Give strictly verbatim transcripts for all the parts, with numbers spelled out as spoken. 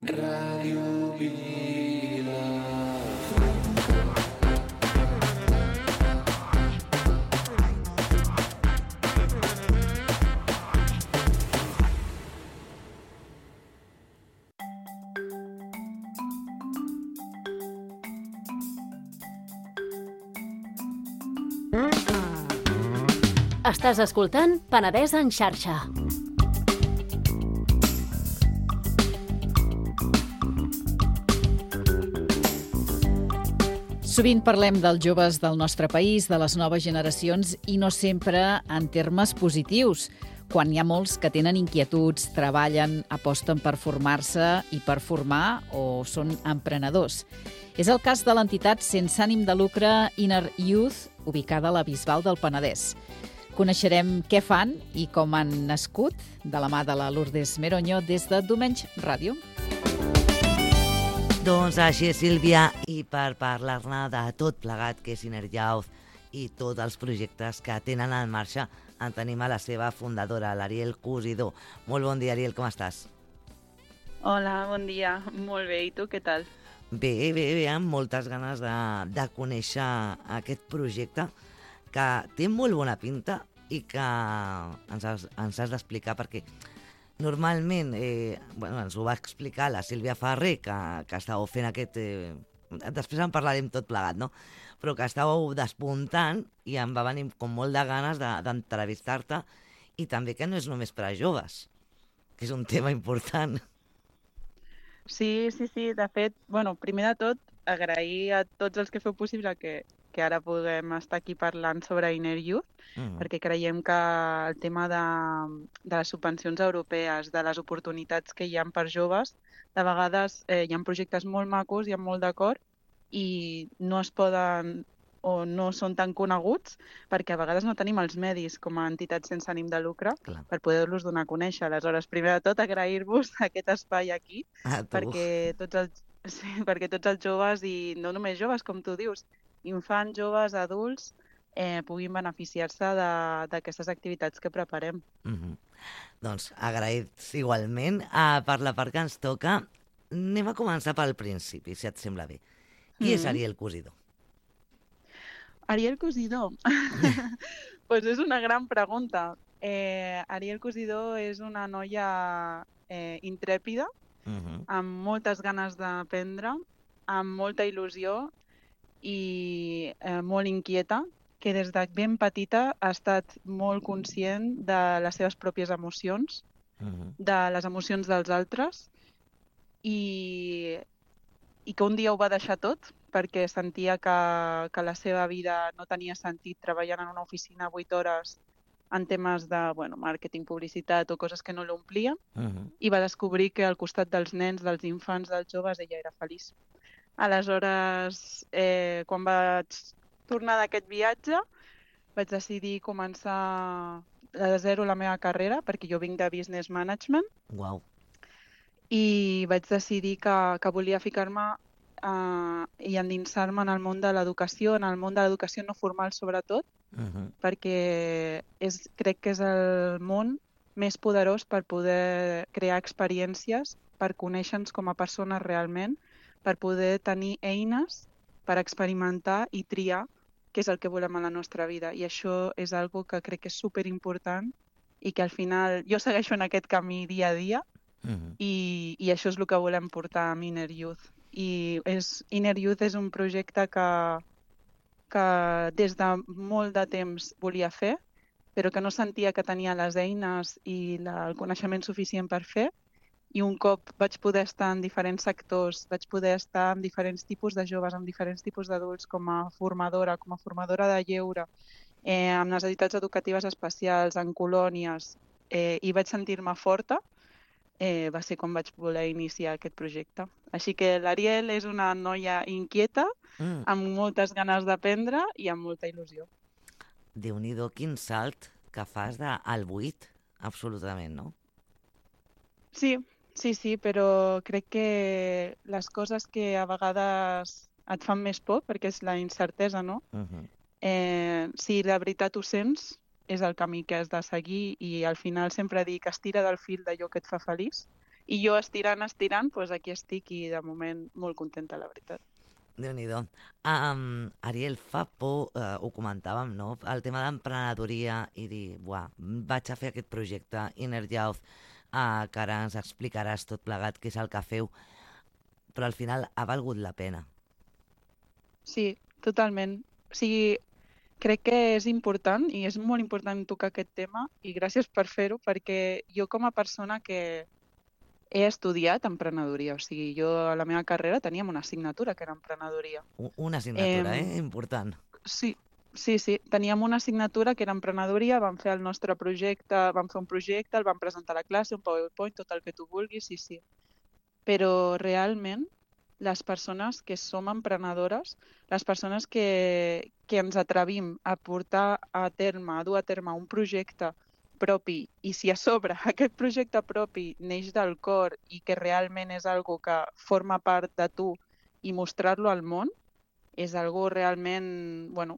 Ràdio Vila. Estàs escoltant Penedès en xarxa. Sovint parlem dels joves del nostre país, de les noves generacions, i no sempre en termes positius, quan hi ha molts que tenen inquietuds, treballen, aposten per formar-se i per formar o són emprenedors. És el cas de l'entitat sense ànim de lucre Inner Youth, ubicada a la Bisbal del Penedès. Coneixerem què fan i com han nascut, de la mà de la Lourdes Meroño, des de Domenys Ràdio. Doncs així és, Sílvia, i per parlar-ne de tot plegat que és Inner Youth i tots els projectes que tenen en marxa, en tenim a la seva fundadora, l'Ariel Cosidó. Molt bon dia, Ariel, com estàs? Hola, bon dia. Molt bé, i tu què tal? Bé, bé, bé, amb moltes ganes de, de conèixer aquest projecte que té molt bona pinta i que ens has, ens has d'explicar perquè normalment, eh, bueno, ens ho va explicar la Sílvia Ferrer, que, que estàveu fent aquest... Eh, després en parlarem tot plegat, no? Però que estàveu despuntant i em va venir com molt de ganes de, d'entrevistar-te i també que no és només per a joves, que és un tema important. Sí, sí, sí. De fet, bueno, primer de tot, agrair a tots els que feu possible que, que ara puguem estar aquí parlant sobre Inner Youth, mm. perquè creiem que el tema de, de les subvencions europees, de les oportunitats que hi ha per joves, de vegades eh, hi ha projectes molt macos, hi ha molt d'acord, i no es poden o no són tan coneguts perquè a vegades no tenim els medis com a entitats sense ànim de lucre Clar. Per poder-los donar a conèixer. Aleshores, primer de tot, agrair-vos aquest espai aquí perquè tots, els, sí, perquè tots els joves, i no només joves, com tu dius, infants, joves, adults, eh, puguin beneficiar-se de, d'aquestes activitats que preparem. Mm-hmm. Doncs agraïts igualment. Uh, per la part que ens toca, anem a començar pel principi, si et sembla bé. Qui mm-hmm. és Ariel Cosidó? Ariel Cosidó? Pues és una gran pregunta. Eh, Ariel Cosidó és una noia eh, intrèpida, uh-huh. amb moltes ganes d'aprendre, amb molta il·lusió i eh, molt inquieta, que des de ben petita ha estat molt conscient de les seves pròpies emocions, uh-huh. de les emocions dels altres, i, i que un dia ho va deixar tot, perquè sentia que, que la seva vida no tenia sentit treballant en una oficina vuit hores en temes de bueno, màrqueting, publicitat o coses que no l'omplien, uh-huh. i va descobrir que al costat dels nens, dels infants, dels joves, ella era feliç. Aleshores, eh, quan vaig tornar d'aquest viatge, vaig decidir començar de zero la meva carrera, perquè jo vinc de Business Management, wow. i vaig decidir que, que volia ficar-me Uh, i endinsar-me en el món de l'educació, en el món de l'educació no formal sobretot, uh-huh. perquè és, crec que és el món més poderós per poder crear experiències, per conèixer-nos com a persones realment, per poder tenir eines per experimentar i triar què és el que volem a la nostra vida. I això és algo que crec que és superimportant i que al final jo segueixo en aquest camí dia a dia, uh-huh. i, i això és el que volem portar amb Inner Youth. I és, Inner Youth és un projecte que, que des de molt de temps volia fer, però que no sentia que tenia les eines i la, el coneixement suficient per fer. I un cop vaig poder estar en diferents sectors, vaig poder estar amb diferents tipus de joves, amb diferents tipus d'adults, com a formadora, com a formadora de lleure, eh, amb necessitats educatives especials, en colònies, eh, i vaig sentir-me forta, Eh, va ser com vaig voler iniciar aquest projecte. Així que l'Ariel és una noia inquieta, mm. amb moltes ganes d'aprendre i amb molta il·lusió. Déu-n'hi-do, quin salt que fas del buit, absolutament, no? Sí, sí, sí, però crec que les coses que a vegades et fan més por, perquè és la incertesa, no? Uh-huh. Eh, si de veritat ho sents, és el camí que has de seguir i al final sempre dic estira del fil d'allò que et fa feliç I jo estirant, estirant, doncs aquí estic i de moment molt contenta, la veritat. Déu-n'hi-do. Um, Ariel, fa por, uh, ho comentàvem, no? El tema d'emprenedoria i dir, buah, vaig a fer aquest projecte, Inner Youth, uh, que ara ens explicaràs tot plegat què és el que feu, però al final ha valgut la pena. Sí, totalment. O sigui, crec que és important i és molt important tocar aquest tema i gràcies per fer-ho, perquè jo com a persona que he estudiat emprenedoria, o sigui, jo a la meva carrera teníem una assignatura que era emprenedoria. Una assignatura, eh, eh? Important. Sí, sí, sí. Teníem una assignatura que era emprenedoria, vam fer el nostre projecte, vam fer un projecte, el vam presentar a la classe, un PowerPoint, tot el que tu vulguis, sí, sí. Però realment, les persones que som emprenedores, les persones que, que ens atrevim a portar a terme, a dur a terme un projecte propi, i si a sobre aquest projecte propi neix del cor i que realment és algo que forma part de tu i mostrar-lo al món, és algo realment, bueno,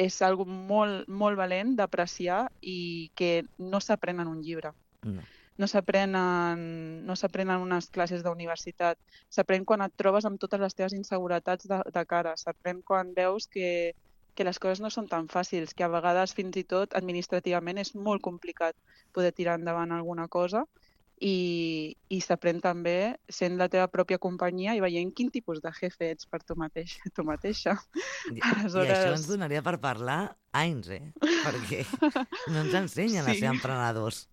és algo molt, molt valent d'apreciar i que no s'aprèn en un llibre. No. No s'aprenen no s'aprenen unes classes d'universitat. S'aprèn quan et trobes amb totes les teves inseguretats de, de cara. S'aprèn quan veus que, que les coses no són tan fàcils, que a vegades fins i tot administrativament és molt complicat poder tirar endavant alguna cosa i, i s'aprèn també sent la teva pròpia companyia i veient quin tipus de jefe ets per tu mateix, tu mateixa. I, Aleshores... I això ens donaria per parlar anys, eh? Perquè no ens ensenyen sí. a ser emprenedors.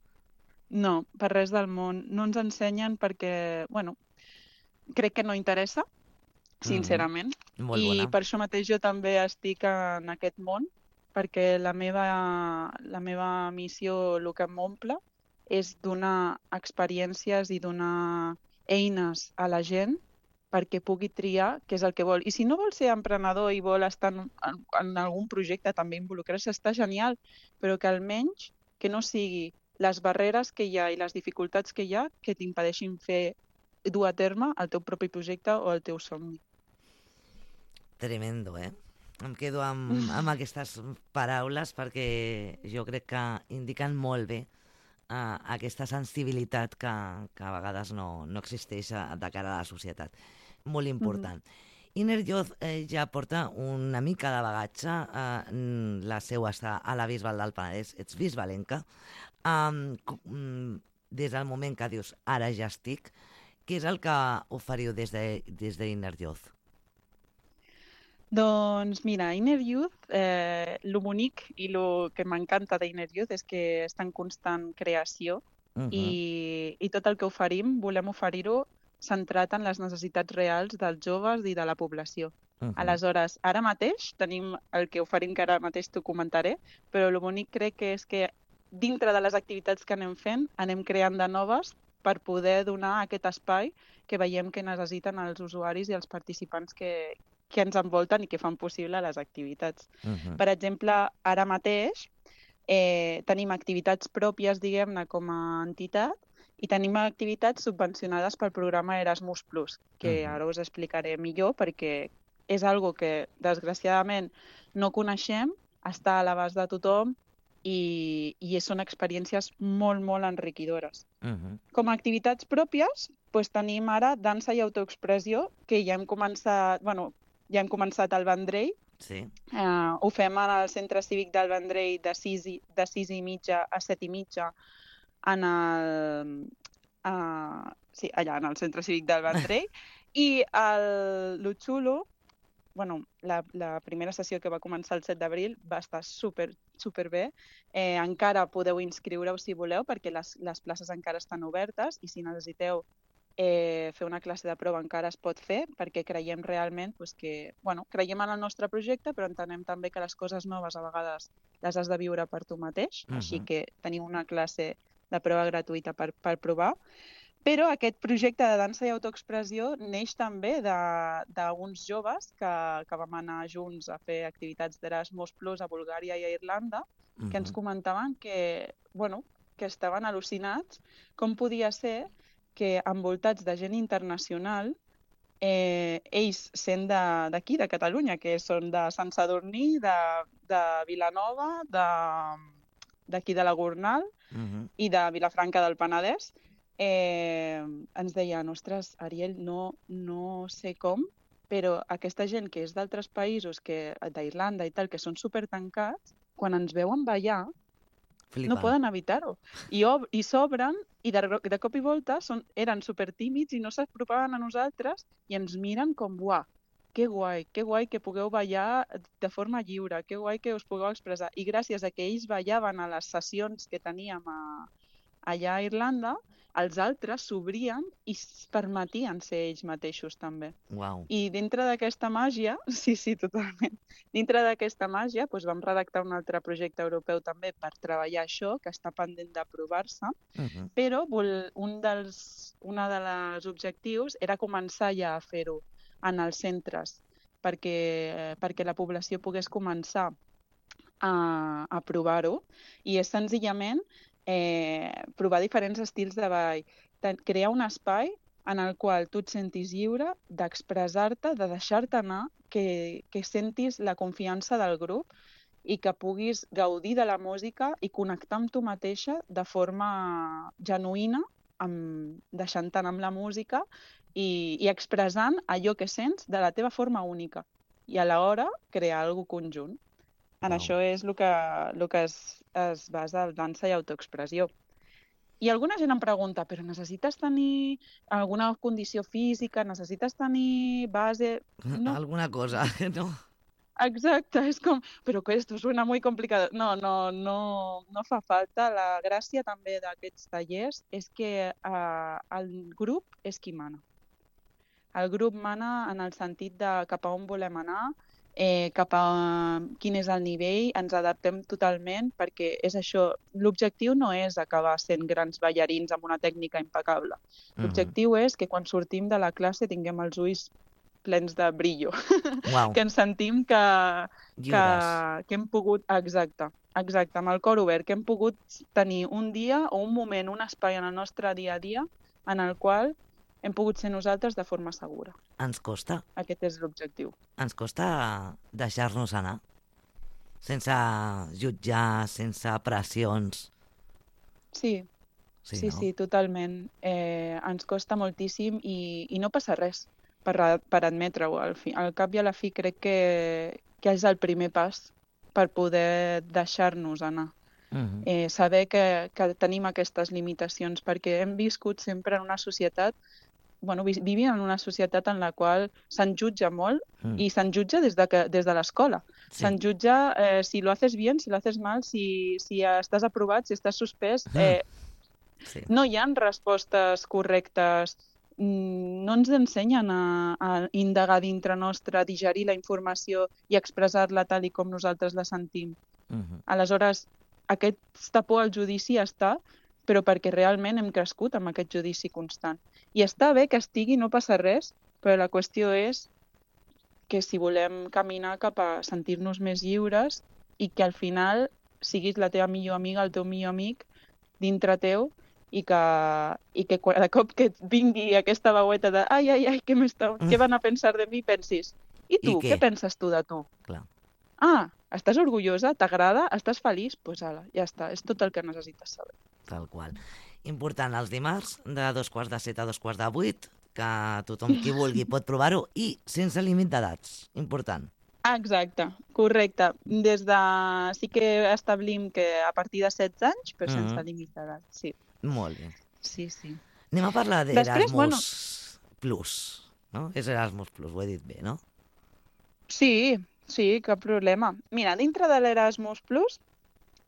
No, per res del món. No ens ensenyen perquè, bueno, crec que no interessa, sincerament. Mm-hmm. Molt I bona. per això mateix jo també estic en aquest món, perquè la meva, la meva missió, el que m'omple, és donar experiències i donar eines a la gent perquè pugui triar què és el que vol. I si no vol ser emprenedor i vol estar en, en, en algun projecte també involucrar-se, està genial, però que almenys que no sigui les barreres que hi ha i les dificultats que hi ha que t'impedeixin fer, dur a terme el teu propi projecte o el teu somni. Tremendo, eh? Em quedo amb, amb aquestes paraules perquè jo crec que indiquen molt bé uh, aquesta sensibilitat que, que a vegades no, no existeix de cara a la societat. Molt important. Mm-hmm. Inner Youth eh, ja porta una mica de bagatge, eh, la seu està a la Bisbal del Penedès, ets bisbalenca. Um, des del moment que dius ara ja estic, què és el que oferiu des de, des de Inner Youth? Doncs mira, Inner Youth, eh, lo bonic i el que m'encanta d'Inner Youth és que està en constant creació uh-huh. i, i tot el que oferim volem oferir-ho centrat en les necessitats reals dels joves i de la població. Uh-huh. Aleshores, ara mateix tenim el que oferim, que ara mateix t'ho comentaré, però el bonic crec que és que dintre de les activitats que anem fent, anem creant de noves per poder donar aquest espai que veiem que necessiten els usuaris i els participants que, que ens envolten i que fan possible les activitats. Uh-huh. Per exemple, ara mateix eh, tenim activitats pròpies, diguem-ne, com a entitat, i tenim activitats subvencionades pel programa Erasmus plus, que uh-huh. ara us explicaré millor perquè és algo que, desgraciadament, no coneixem, està a l'abast de tothom, I, i són experiències molt, molt enriquidores. Uh-huh. Com a activitats pròpies, doncs tenim ara dansa i autoexpressió, que ja hem començat, bueno, ja hem començat al Vendrell. Sí. Uh, ho fem al Centre Cívic del Vendrell de sis i, de sis i mitja a set i mitja en el, uh, sí, allà, en el Centre Cívic del Vendrell. I el, lo xulo, bueno, la, la primera sessió que va començar el set d'abril va estar super, super bé. Eh, encara podeu inscriure-us si voleu, perquè les, les places encara estan obertes i si necessiteu eh, fer una classe de prova encara es pot fer, perquè creiem realment pues, que, bueno, creiem en el nostre projecte, però entenem també que les coses noves a vegades les has de viure per tu mateix, uh-huh. així que tenim una classe de prova gratuïta per, per provar. Però aquest projecte de dansa i autoexpressió neix també d'uns joves que, que vam anar junts a fer activitats d'Erasmus plus a Bulgària i a Irlanda, uh-huh. que ens comentaven que, bueno, que estaven al·lucinats com podia ser que envoltats de gent internacional, eh, ells sent d'aquí, de, de Catalunya, que són de Sant Sadurní, de, de Vilanova, d'aquí de, de la Gornal uh-huh. i de Vilafranca del Penedès, eh, ens deien, ostres, Ariel, no, no sé com, però aquesta gent que és d'altres països, que d'Irlanda i tal, que són supertancats, quan ens veuen ballar, Flipen. no poden evitar-ho. I, ob- i s'obren i de, de cop i volta són, eren supertímids i no s'apropaven a nosaltres i ens miren com, uah, que guai, que guai que pugueu ballar de forma lliure, que guai que us pugueu expressar. I gràcies a que ells ballaven a les sessions que teníem a, allà a Irlanda, els altres s'obrien i es permetien ser ells mateixos també. Uau. I dintre d'aquesta màgia, sí, sí, totalment, dintre d'aquesta màgia doncs vam redactar un altre projecte europeu també per treballar això, que està pendent d'aprovar-se, Uh -huh. però vol- un dels, una de les objectius era començar ja a fer-ho en els centres, perquè, perquè la població pogués començar a, a provar-ho, i és senzillament eh, provar diferents estils de ball, Ten- crear un espai en el qual tu et sentis lliure d'expressar-te, de deixar-te anar, que, que sentis la confiança del grup i que puguis gaudir de la música i connectar amb tu mateixa de forma genuïna, amb, deixant-te anar amb la música i, i expressant allò que sents de la teva forma única i alhora crear alguna conjunt. En Wow. això és el que, el que es, es basa el dansa i autoexpressió. I alguna gent em pregunta, però necessites tenir alguna condició física, necessites tenir base... No, Alguna cosa, no? exacte, és com, però que esto suena muy complicado. No, no, no, no fa falta. La gràcia també d'aquests tallers és que eh, el grup és qui mana. El grup mana en el sentit de cap a on volem anar, eh, cap a quin és el nivell, ens adaptem totalment perquè és això, l'objectiu no és acabar sent grans ballarins amb una tècnica impecable. L'objectiu és que quan sortim de la classe tinguem els ulls plens de brillo, Uau. que ens sentim que, que, Lliures. que hem pogut, exacte, exacte, amb el cor obert, que hem pogut tenir un dia o un moment, un espai en el nostre dia a dia en el qual hem pogut ser nosaltres de forma segura. Ens costa, Aquest és l'objectiu. ens costa deixar-nos anar, sense jutjar, sense pressions. Sí, Sí, sí, no? sí, totalment. Eh, ens costa moltíssim i, i no passa res per, a- per admetre-ho. Al, fi, al cap i a la fi crec que, que és el primer pas per poder deixar-nos anar. Mhm. Eh, saber que, que tenim aquestes limitacions, perquè hem viscut sempre en una societat, bueno, vi- vivim en una societat en la qual se'n jutja molt Mm. i se'n jutja des de, que, des de l'escola. Sí. Se'n jutja eh, si lo haces bien, si lo haces mal, si, si estàs aprovat, si estàs suspès. Mm. Eh, Sí. no hi ha respostes correctes, mm, no ens ensenyen a, a indagar dintre nostre, a digerir la informació i expressar-la tal i com nosaltres la sentim. Mhm. Aleshores, aquesta por al judici està, però perquè realment hem crescut amb aquest judici constant. I està bé que estigui, no passa res, però la qüestió és que si volem caminar cap a sentir-nos més lliures i que al final siguis la teva millor amiga, el teu millor amic dintre teu i que, i que cada cop que et vingui aquesta veueta de ai, ai, ai, què, m'està- què van a pensar de mi, pensis, i tu, I què? què penses tu de tu? Clar. Ah, estàs orgullosa? T'agrada? Estàs feliç? Doncs pues ala, ja està, és tot el que necessites saber. Tal qual. Important, els dimarts, de dos quarts de set a dos quarts de vuit, que tothom qui vulgui pot provar-ho, i sense límit d'edats. Important. Exacte, correcte. Des de... Sí que establim que a partir de setze anys, però sense Mhm. límit d'edat, sí. Molt bé. Sí, sí. Anem a parlar Després, d'Erasmus bueno. Plus, no? És Erasmus Plus, ho he dit bé, no? Sí, sí, cap problema. Mira, dintre de l'Erasmus Plus,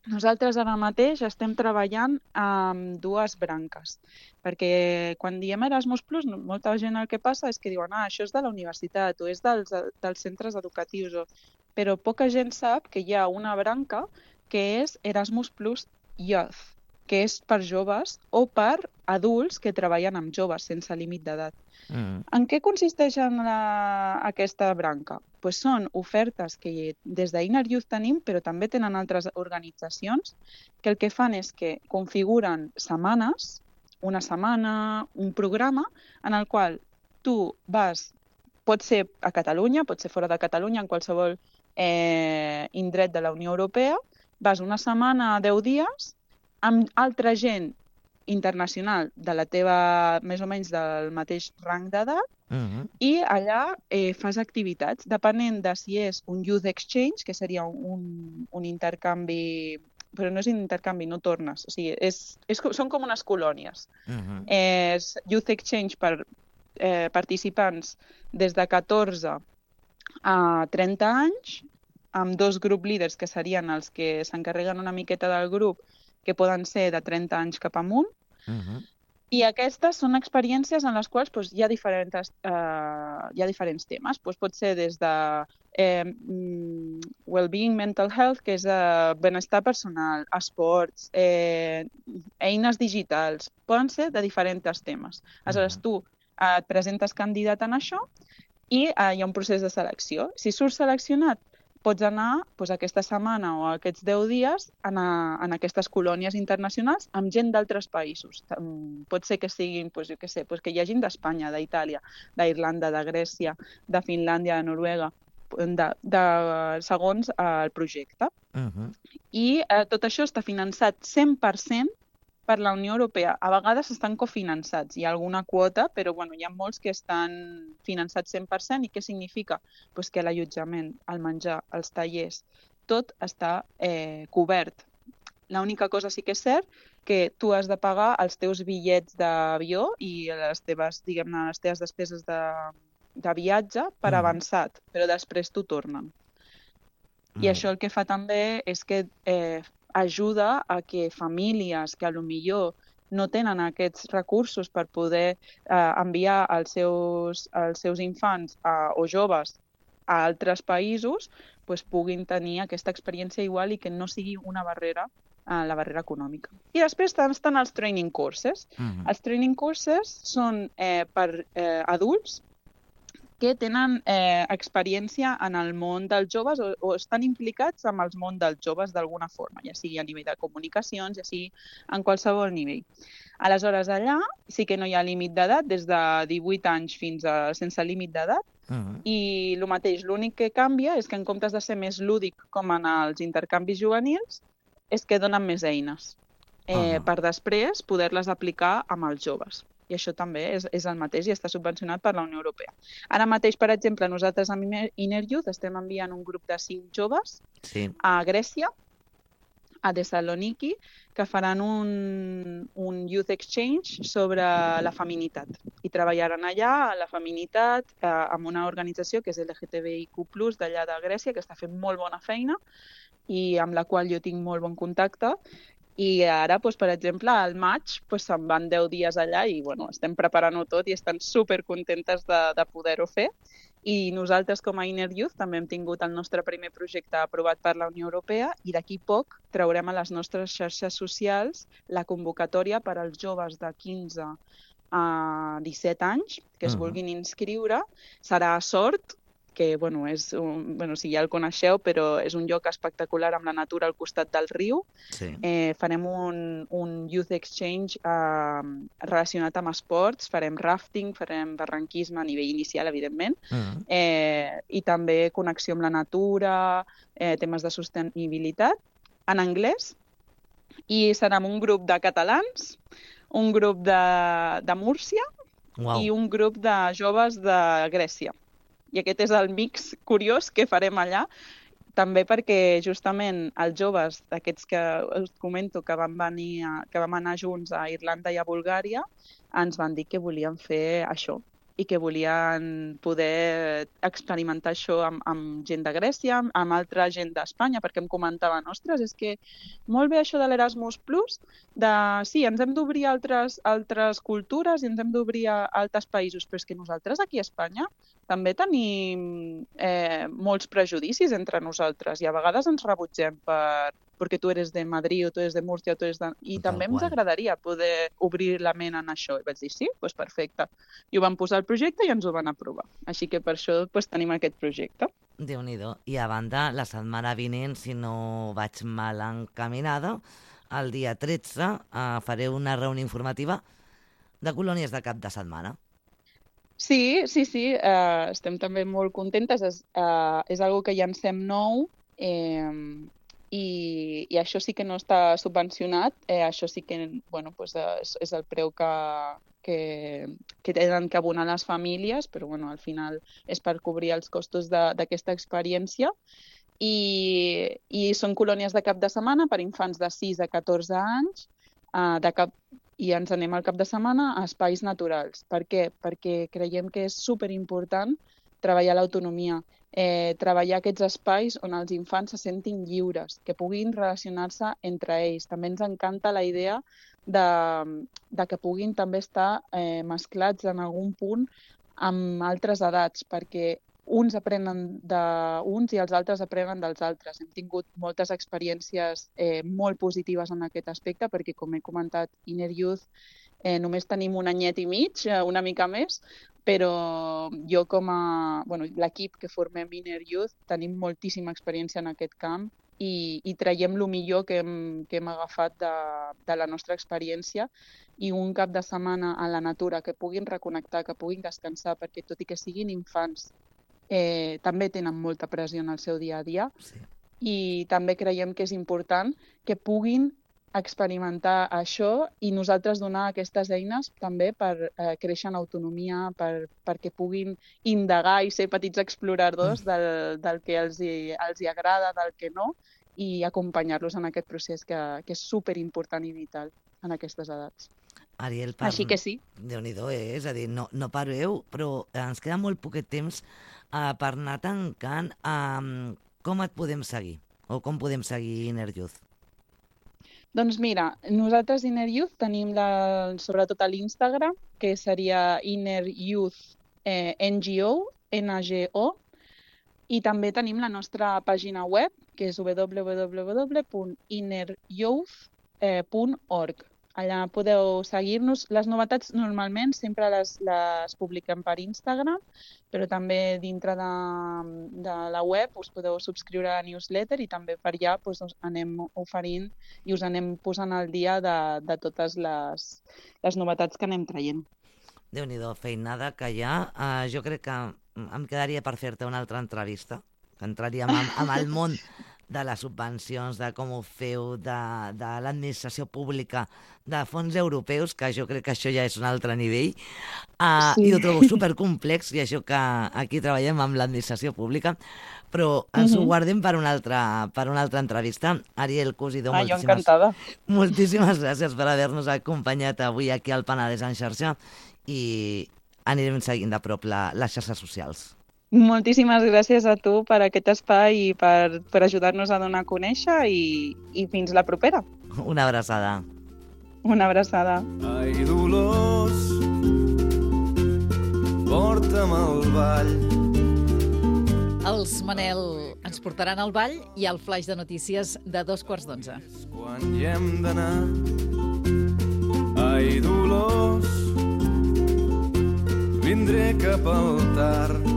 nosaltres ara mateix estem treballant amb dues branques, perquè quan diem Erasmus Plus, no- molta gent el que passa és que diuen ah, això és de la universitat o és dels, dels centres educatius, o... però poca gent sap que hi ha una branca que és Erasmus Plus Youth, que és per joves o per adults que treballen amb joves sense límit d'edat. Mm. En què consisteix en la, aquesta branca? Pues són ofertes que des d'Inner Youth tenim, però també tenen altres organitzacions, que el que fan és que configuren setmanes, una setmana, un programa, en el qual tu vas, pot ser a Catalunya, pot ser fora de Catalunya, en qualsevol eh, indret de la Unió Europea, vas una setmana, deu dies, amb altra gent internacional de la teva, més o menys del mateix rang d'edat, Mhm. i allà eh, fas activitats, depenent de si és un youth exchange, que seria un, un intercanvi, però no és intercanvi, no tornes, o sigui, és, és, co- són com unes colònies. Mhm. És youth exchange per eh, participants des de catorze a trenta anys, amb dos group leaders que serien els que s'encarreguen una miqueta del grup, que poden ser de trenta anys cap amunt, Mhm. i aquestes són experiències en les quals doncs, hi, ha diferents, eh, hi ha diferents temes. Doncs, pot ser des de eh, mm, well-being, mental health, que és eh, benestar personal, esports, eh, eines digitals, poden ser de diferents temes. Aleshores, Mhm. tu eh, et presentes candidat en això i eh, hi ha un procés de selecció. Si surts seleccionat, pots anar doncs, aquesta setmana o aquests deu dies en, a, en aquestes colònies internacionals amb gent d'altres països. Tam- Pot ser que siguin, doncs, jo què sé, doncs, que hi hagin d'Espanya, d'Itàlia, d'Irlanda, de Grècia, de Finlàndia, de Noruega, de, de, segons eh, el projecte. Mhm. I eh, tot això està finançat cent per cent per la Unió Europea. A vegades estan cofinançats, hi ha alguna quota, però bueno, hi ha molts que estan finançats cent per cent. I què significa? Pues que l'allotjament, el menjar, els tallers, tot està eh, cobert. L'única cosa sí que és cert que tu has de pagar els teus bitllets d'avió i les teves, diguem-ne, les teves despeses de, de viatge per Mhm. avançat, però després t'ho tornen. I això el que fa també és que eh, ajuda a que famílies que a lo millor no tenen aquests recursos per poder eh, enviar els seus, els seus infants a, o joves a altres països, pues, puguin tenir aquesta experiència igual i que no sigui una barrera, eh, la barrera econòmica. I després estan els training courses. Mhm. Els training courses són eh, per eh, adults que tenen eh, experiència en el món dels joves o, o estan implicats amb el món dels joves d'alguna forma, ja sigui a nivell de comunicacions, ja sigui en qualsevol nivell. Aleshores, allà sí que no hi ha límit d'edat, des de divuit anys fins a sense límit d'edat, Mhm. i el mateix, l'únic que canvia és que en comptes de ser més lúdic com en els intercanvis juvenils, és que donen més eines eh, Ah. per després poder-les aplicar amb els joves. I això també és, és el mateix i està subvencionat per la Unió Europea. Ara mateix, per exemple, nosaltres amb Inner Youth estem enviant un grup de cinc joves Sí. a Grècia, a Thessaloniki, que faran un, un youth exchange sobre la feminitat. I treballaran allà, la feminitat, eh, amb una organització que és L G T B I Q plus, d'allà de Grècia, que està fent molt bona feina i amb la qual jo tinc molt bon contacte. I ara, doncs, per exemple, al maig doncs, se'n van deu dies allà i bueno, estem preparant-ho tot i estan supercontentes de, de poder-ho fer. I nosaltres, com a Inner Youth, també hem tingut el nostre primer projecte aprovat per la Unió Europea i d'aquí poc traurem a les nostres xarxes socials la convocatòria per als joves de quinze a disset anys que es Mhm. vulguin inscriure. Serà a Sort, que bueno, és un, bueno, si ja el coneixeu, però és un lloc espectacular amb la natura al costat del riu. Sí. Eh, farem un, un youth exchange eh, relacionat amb esports, farem rafting, farem barranquisme a nivell inicial, evidentment, Mhm. eh, i també connexió amb la natura, eh, temes de sostenibilitat, en anglès, i serà amb un grup de catalans, un grup de, de Múrcia Uau. i un grup de joves de Grècia. I aquest és el mix curiós que farem allà, també perquè justament els joves d'aquests que us comento que vam, venir a, que vam anar junts a Irlanda i a Bulgària ens van dir que volien fer això i que volien poder experimentar això amb, amb gent de Grècia, amb, amb altra gent d'Espanya, perquè em comentaven, ostres, és que molt bé això de l'Erasmus Plus, de sí, ens hem d'obrir a altres, altres cultures i ens hem d'obrir a altres països, però és que nosaltres aquí a Espanya també tenim eh, molts prejudicis entre nosaltres i a vegades ens rebutgem per, perquè tu eres de Madrid o tu eres de Múrcia o tu eres de... I Tal també qual. ens agradaria poder obrir la ment en això. I vaig dir, sí, doncs perfecte. I ho vam posar al projecte i ens ho van aprovar. Així que per això doncs, tenim aquest projecte. Déu-n'hi-do. I a banda, la setmana vinent, si no vaig mal encaminada, el dia tretze eh, faré una reunió informativa de colònies de cap de setmana. Sí, sí, sí, eh, estem també molt contentes. És, eh, és algo que llancem nou eh, i, i això sí que no està subvencionat, eh, això sí que bueno, pues és, és el preu que, que, que tenen que abonar les famílies, però bueno, al final és per cobrir els costos d'aquesta experiència. I, i són colònies de cap de setmana per infants de sis a catorze anys, eh, de cap, i ens anem al cap de setmana a espais naturals. Per què? Perquè creiem que és superimportant treballar l'autonomia, eh, treballar aquests espais on els infants se sentin lliures, que puguin relacionar-se entre ells. També ens encanta la idea de, de que puguin també estar eh, mesclats en algun punt amb altres edats, perquè uns aprenen d'uns i els altres aprenen dels altres. Hem tingut moltes experiències eh, molt positives en aquest aspecte, perquè, com he comentat, Inner Youth eh, només tenim un anyet i mig, eh, una mica més, però jo com a... Bueno, l'equip que formem Inner Youth tenim moltíssima experiència en aquest camp i, i traiem el millor que hem, que hem agafat de, de la nostra experiència, i un cap de setmana a la natura, que puguin reconnectar, que puguin descansar, perquè tot i que siguin infants, Eh, també tenen molta pressió en el seu dia a dia, sí. I també creiem que és important que puguin experimentar això i nosaltres donar aquestes eines també per eh, créixer en autonomia, per, perquè puguin indagar i ser petits exploradors mm. del, del que els hi, els hi agrada, del que no, i acompanyar-los en aquest procés que, que és superimportant i vital en aquestes edats. Ariel, per... Així que sí. Déu-n'hi-do, eh? És a dir, no, no pareu, però ens queda molt poquet temps uh, per anar tancant. Uh, com et podem seguir? O com podem seguir Inner Youth? Doncs mira, nosaltres Inner Youth tenim la, sobretot a l'Instagram, que seria Inner Youth eh, N G O, N G O, i també tenim la nostra pàgina web, que és w w w punt inner youth punt org. Allà podeu seguir-nos. Les novetats normalment sempre les, les publiquem per Instagram, però també dintre de, de la web us podeu subscriure a la newsletter i també per allà doncs, us anem oferint i us anem posant al dia de, de totes les, les novetats que anem traient. Déu-n'hi-do, feinada que hi ha. Uh, jo crec que em quedaria per fer-te una altra entrevista, que entraríem amb, amb el món de les subvencions, de com ho feu, de, de l'administració pública, de fons europeus, que jo crec que això ja és un altre nivell, uh, sí. I ho trobo supercomplex, i això que aquí treballem amb l'administració pública, però ens uh-huh. ho guardem per una altra, per una altra entrevista. Ariel Cosidó, ah, moltíssimes, moltíssimes gràcies per haver-nos acompanyat avui aquí al Penedès en xarxa, i anirem seguint de prop la, les xarxes socials. Moltíssimes gràcies a tu per aquest espai i per, per ajudar-nos a donar a conèixer i, i fins la propera. Una abraçada. Una abraçada. Ai, Dolors, porta'm al ball. Els Manel ens portaran al ball i al flaix de notícies de dos quarts d'onze. Quan hi hem d'anar. Ai, Dolors, vindré cap al tard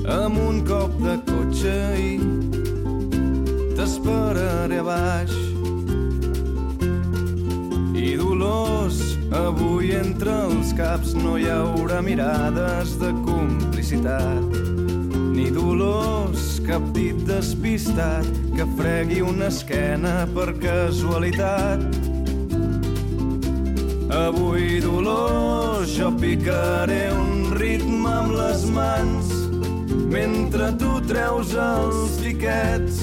amb un cop de cotxe i t'esperaré a baix. I Dolors, avui entre els caps no hi haurà mirades de complicitat, ni Dolors, cap dit despistat que fregui una esquena per casualitat. Avui, Dolors, jo picaré un ritme amb les mans mentre tu treus els tiquets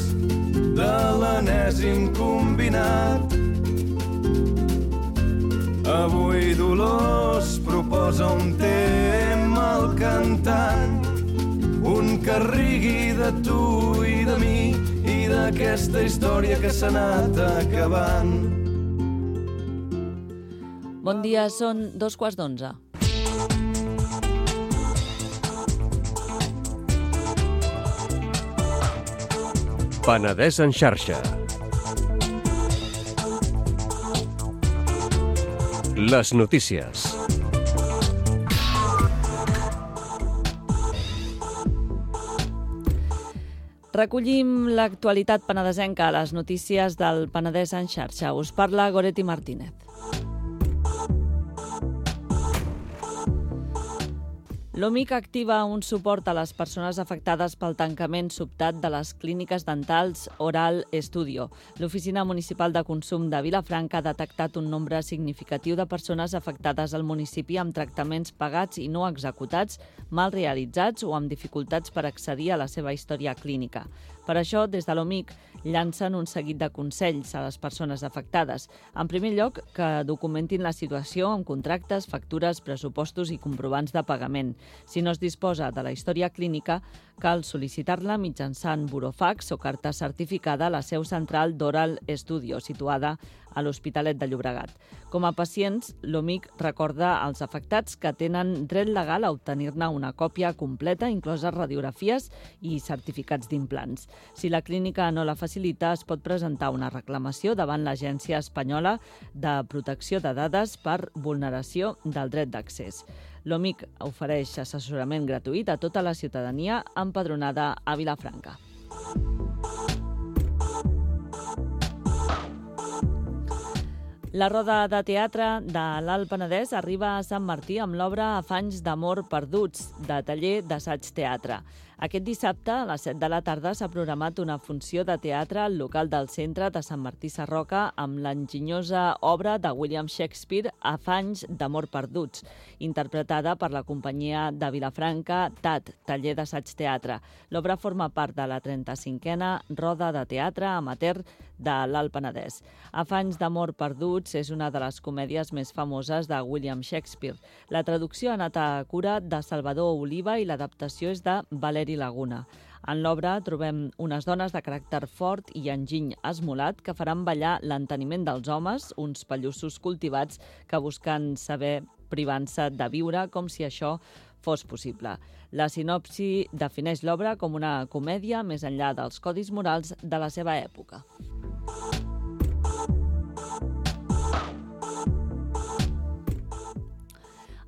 de l'enèsim combinat. Avui, Dolors, proposa un tema al cantant, un que rigui de tu i de mi i d'aquesta història que s'ha anat acabant. Bon dia, són dos quarts d'onze. Penedès en xarxa. Les notícies. Recollim l'actualitat penedesenca a les notícies del Penedès en xarxa. Us parla Goretti Martínez. L'O M I C activa un suport a les persones afectades pel tancament sobtat de les clíniques dentals Oral Studio. L'Oficina Municipal de Consum de Vilafranca ha detectat un nombre significatiu de persones afectades al municipi amb tractaments pagats i no executats, mal realitzats o amb dificultats per accedir a la seva història clínica. Per això, des de l'O M I C llancen un seguit de consells a les persones afectades. En primer lloc, que documentin la situació amb contractes, factures, pressupostos i comprovants de pagament. Si no es disposa de la història clínica, cal sol·licitar-la mitjançant burofax o carta certificada a la seu central d'Oral Studio, situada a l'Hospitalet de Llobregat. Com a pacients, l'O M I C recorda als afectats que tenen dret legal a obtenir-ne una còpia completa, incloses radiografies i certificats d'implants. Si la clínica no la facilita, es pot presentar una reclamació davant l'Agència Espanyola de Protecció de Dades per vulneració del dret d'accés. L'O M I C ofereix assessorament gratuït a tota la ciutadania empadronada a Vilafranca. La roda de teatre de l'Alt Penedès arriba a Sant Martí amb l'obra Afanys d'amor perduts, de taller d'assaig teatre. Aquest dissabte, a les set de la tarda, s'ha programat una funció de teatre al local del centre de Sant Martí Sarroca amb l'enginyosa obra de William Shakespeare, Afanys d'amor perduts, interpretada per la companyia de Vilafranca T A T, taller d'assaig teatre. L'obra forma part de la trenta-cinquena roda de teatre amateur de l'Alt Penedès. Afanys d'amor perduts és una de les comèdies més famoses de William Shakespeare. La traducció ha anat a cura de Salvador Oliva i l'adaptació és de Valeri Laguna. En l'obra trobem unes dones de caràcter fort i enginy esmolat que faran ballar l'enteniment dels homes, uns pallussos cultivats que busquen saber privant-se de viure com si això fos possible. La sinopsi defineix l'obra com una comèdia més enllà dels codis morals de la seva època.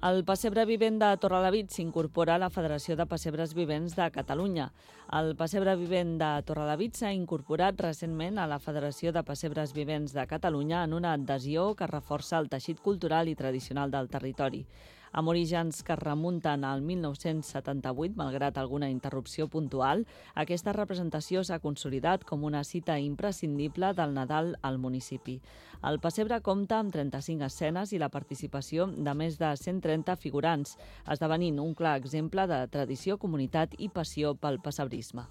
El pessebre vivent de Torrelavit s'incorpora a la Federació de Pessebres Vivents de Catalunya. El pessebre vivent de Torrelavit s'ha incorporat recentment a la Federació de Pessebres Vivents de Catalunya en una adhesió que reforça el teixit cultural i tradicional del territori. Amb orígens que es remunten al mil nou-cents setanta-vuit, malgrat alguna interrupció puntual, aquesta representació s'ha consolidat com una cita imprescindible del Nadal al municipi. El pessebre compta amb trenta-cinc escenes i la participació de més de cent trenta figurants, esdevenint un clar exemple de tradició, comunitat i passió pel pessebrisme.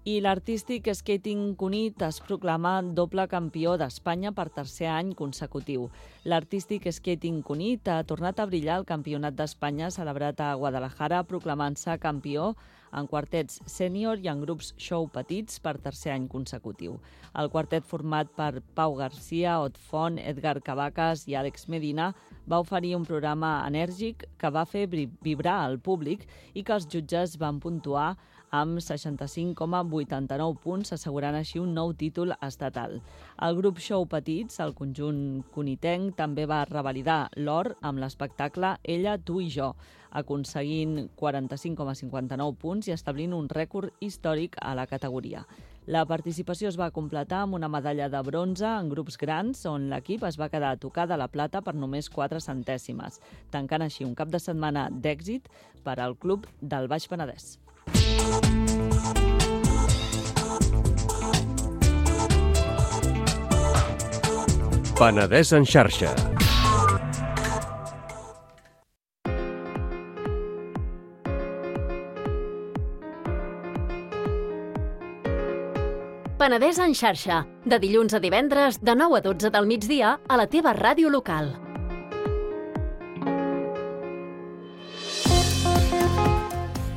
I l'artístic skating Cunit es proclama doble campió d'Espanya per tercer any consecutiu. L'artístic skating Cunit ha tornat a brillar al Campionat d'Espanya celebrat a Guadalajara, proclamant-se campió en quartets sènior i en grups show petits per tercer any consecutiu. El quartet format per Pau Garcia, Ot Font, Edgar Cavacas i Àlex Medina va oferir un programa enèrgic que va fer vibrar al públic i que els jutges van puntuar amb seixanta-cinc coma vuitanta-nou punts, assegurant així un nou títol estatal. El grup Show Petits, el conjunt cunitenc, també va revalidar l'or amb l'espectacle Ella, tu i jo, aconseguint quaranta-cinc coma cinquanta-nou punts i establint un rècord històric a la categoria. La participació es va completar amb una medalla de bronze en grups grans, on l'equip es va quedar a tocar de la plata per només quatre centèsimes, tancant així un cap de setmana d'èxit per al club del Baix Penedès. Penedès en xarxa. Penedès en xarxa, de dilluns a divendres, de nou a dotze del migdia, a la teva ràdio local.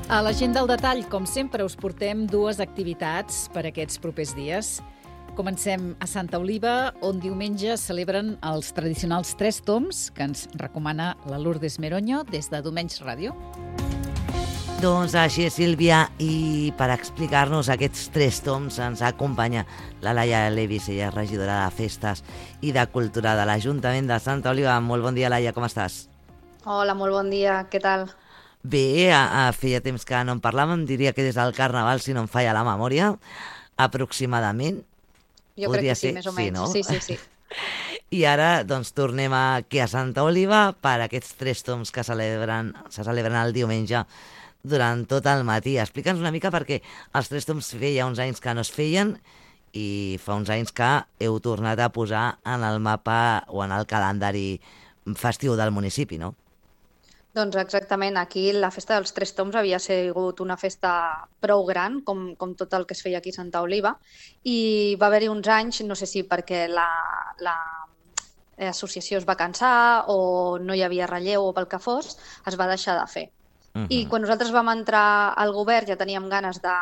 A l'agenda al detall, com sempre, us portem dues activitats per aquests propers dies. Comencem a Santa Oliva, on diumenge celebren els tradicionals tres toms que ens recomana la Lourdes Meroño des de Domenys Ràdio. Doncs així és, Sílvia, i per explicar-nos aquests tres toms ens acompanya la Laia Levis, ella és regidora de Festes i de Cultura de l'Ajuntament de Santa Oliva. Molt bon dia, Laia, com estàs? Hola, molt bon dia, què tal? Bé, a, a feia temps que no en parlàvem, diria que des del Carnaval, si no em falla la memòria, aproximadament. Jo Podria crec que sí, ser, més o sí, menys. no? Sí, sí, sí. I ara doncs, tornem aquí a Santa Oliva per aquests tres tombs que celebren, se celebren el diumenge durant tot el matí. Explica'ns una mica perquè els tres tombs feia uns anys que no es feien i fa uns anys que heu tornat a posar en el mapa o en el calendari festiu del municipi, no? Doncs exactament, aquí la festa dels Tres Tombs havia sigut una festa prou gran, com, com tot el que es feia aquí a Santa Oliva, i va haver-hi uns anys, no sé si perquè la, la associació es va cansar o no hi havia relleu o pel que fos, es va deixar de fer. Uh-huh. I quan nosaltres vam entrar al govern ja teníem ganes de,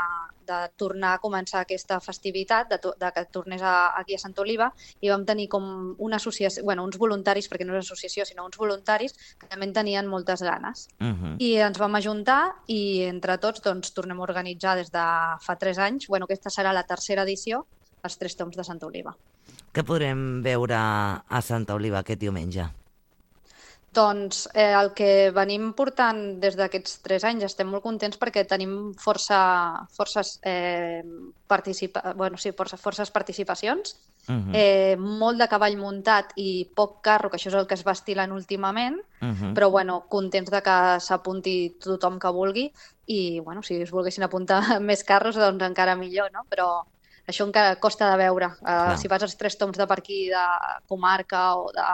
de tornar a començar aquesta festivitat, de, to, de que tornés a, aquí a Santa Oliva, i vam tenir com una associació, bueno, uns voluntaris, perquè no és associació, sinó uns voluntaris que també en tenien moltes ganes. Uh-huh. I ens vam ajuntar i entre tots doncs, tornem a organitzar des de fa tres anys, bueno, aquesta serà la tercera edició, els Tres Tombs de Santa Oliva. Què podrem veure a Santa Oliva aquest diumenge? Doncs eh, el que venim portant des d'aquests tres anys, estem molt contents perquè tenim força, forces, eh, participa... bueno, sí, força, forces participacions, uh-huh. eh, molt de cavall muntat i poc carro, que això és el que es va estilant últimament, uh-huh. però bueno, contents de que s'apunti tothom que vulgui i bueno, si es volguessin apuntar més carros, doncs encara millor, no? Però això encara costa de veure. Uh, si vas als Tres Tombs de per aquí, de comarca o de...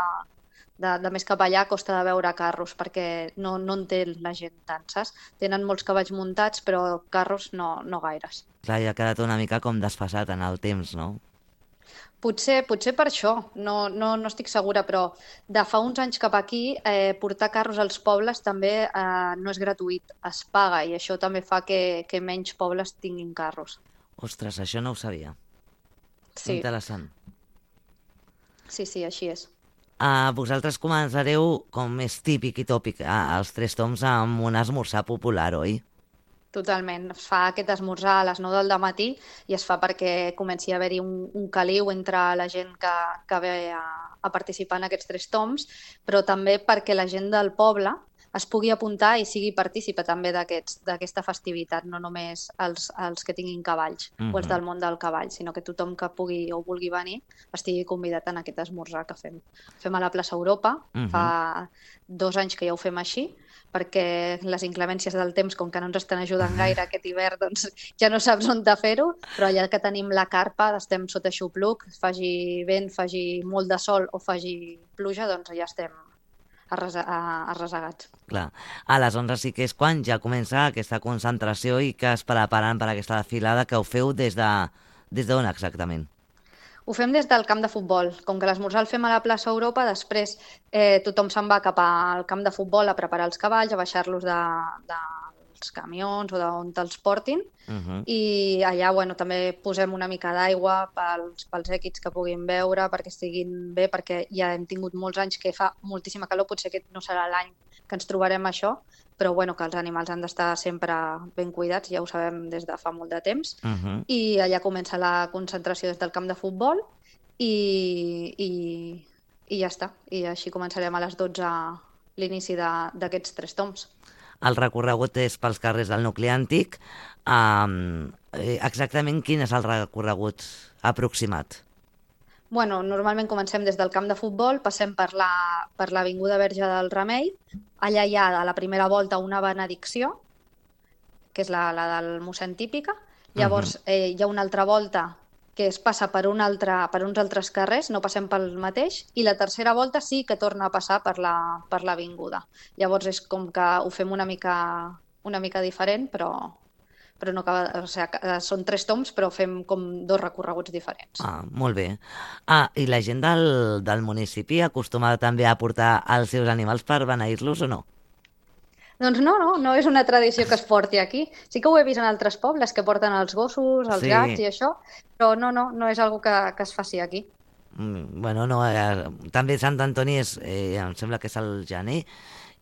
De, de més cap allà costa de veure carros perquè no, no en té la gent tant, saps? Tenen molts cavalls muntats però carros no, no gaires. Clar, ja ha quedat una mica com desfasat en el temps, no? Potser, potser per això, no, no, no estic segura, però de fa uns anys cap aquí eh, portar carros als pobles també eh, no és gratuït, es paga i això també fa que, que menys pobles tinguin carros. Ostres, això no ho sabia. Sí. Interessant. Sí, sí, així és. Uh, vosaltres començareu, com és típic i tòpic, uh, els Tres Tombs amb un esmorzar popular, oi? Totalment. Es fa aquest esmorzar a les nou del matí i es fa perquè comenci a haver-hi un, un caliu entre la gent que, que ve a, a participar en aquests Tres Tombs, però també perquè la gent del poble es pugui apuntar i sigui partícipe també d'aquesta festivitat, no només els, els que tinguin cavalls uh-huh. o els del món del cavall, sinó que tothom que pugui o vulgui venir estigui convidat en aquest esmorzar que fem. Fem a la plaça Europa, uh-huh. fa dos anys que ja ho fem així, perquè les inclemències del temps, com que no ens estan ajudant gaire aquest hivern, doncs ja no saps on de fer-ho, però allà que tenim la carpa, estem sota xupluc, faci vent, faci molt de sol o faci pluja, doncs ja estem arrasegats. Clar. Aleshores sí que és quan ja comença aquesta concentració i que es preparen per aquesta desfilada que ho feu des de des d'on exactament? Ho fem des del camp de futbol. Com que l'esmorzar el fem a la plaça Europa, després eh, tothom se'n va cap al camp de futbol a preparar els cavalls, a baixar-los de, dels camions o d'on te'ls portin. Uh-huh. I allà bueno, també posem una mica d'aigua pels, pels èquids que puguin beure perquè estiguin bé, perquè ja hem tingut molts anys que fa moltíssima calor, potser aquest no serà l'any que ens trobarem això, però bueno, que els animals han d'estar sempre ben cuidats, ja ho sabem des de fa molt de temps. Uh-huh. I allà comença la concentració des del camp de futbol i, i, i ja està. I així començarem a les dotze l'inici d'aquests Tres Tombs. El recorregut és pels carrers del nucli antic. Um, exactament quin és el recorregut aproximat? Bueno, normalment comencem des del camp de futbol, passem per la, per l'Avinguda Verge del Remei. Allà hi ha a la primera volta una benedicció, que és la, la del mossèn típica. Llavors uh-huh. eh, hi ha una altra volta que es passa per, un altre, per uns altres carrers, no passem pel mateix, i la tercera volta sí que torna a passar per la, per l'avinguda. Llavors és com que ho fem una mica, una mica diferent, però, però no acaba, o sigui, són tres tombs, però fem com dos recorreguts diferents. Ah, molt bé. Ah, i la gent del, del municipi acostuma també a portar els seus animals per beneir-los o no? Doncs no, no, no és una tradició que es porti aquí. Sí que ho he vist en altres pobles, que porten els gossos, els sí. gats i això, però no, no, no és algo que, que es faci aquí. Mm, bueno, no, eh, també Sant Antoni és, eh, em sembla que és el gener,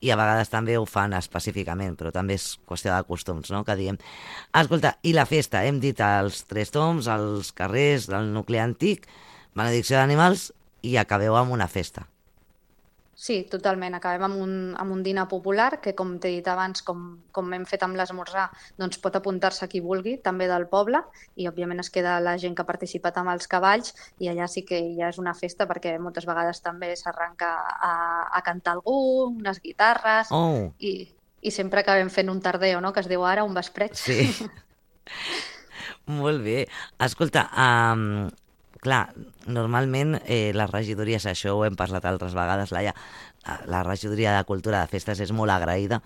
i a vegades també ho fan específicament, però també és qüestió de costums, no?, que diem. Escolta, i la festa? Hem dit els Tres Tombs, els carrers del nucli antic, benedicció d'animals, i acabeu amb una festa. sí, totalment. Acabem amb un, amb un dinar popular que, com t'he dit abans, com, com hem fet amb l'esmorzar, doncs pot apuntar-se qui vulgui, també del poble, i òbviament es queda la gent que ha participat amb els cavalls, i allà sí que ja és una festa perquè moltes vegades també s'arranca a, a cantar algú, unes guitarres, Oh. i, i sempre acabem fent un tardeo, no?, que es diu ara, un vespret. Sí. Molt bé. Escolta, um, clar, normalment eh, les regidories, això ho hem parlat altres vegades, Laia, la regidoria de Cultura de Festes és molt agraïda,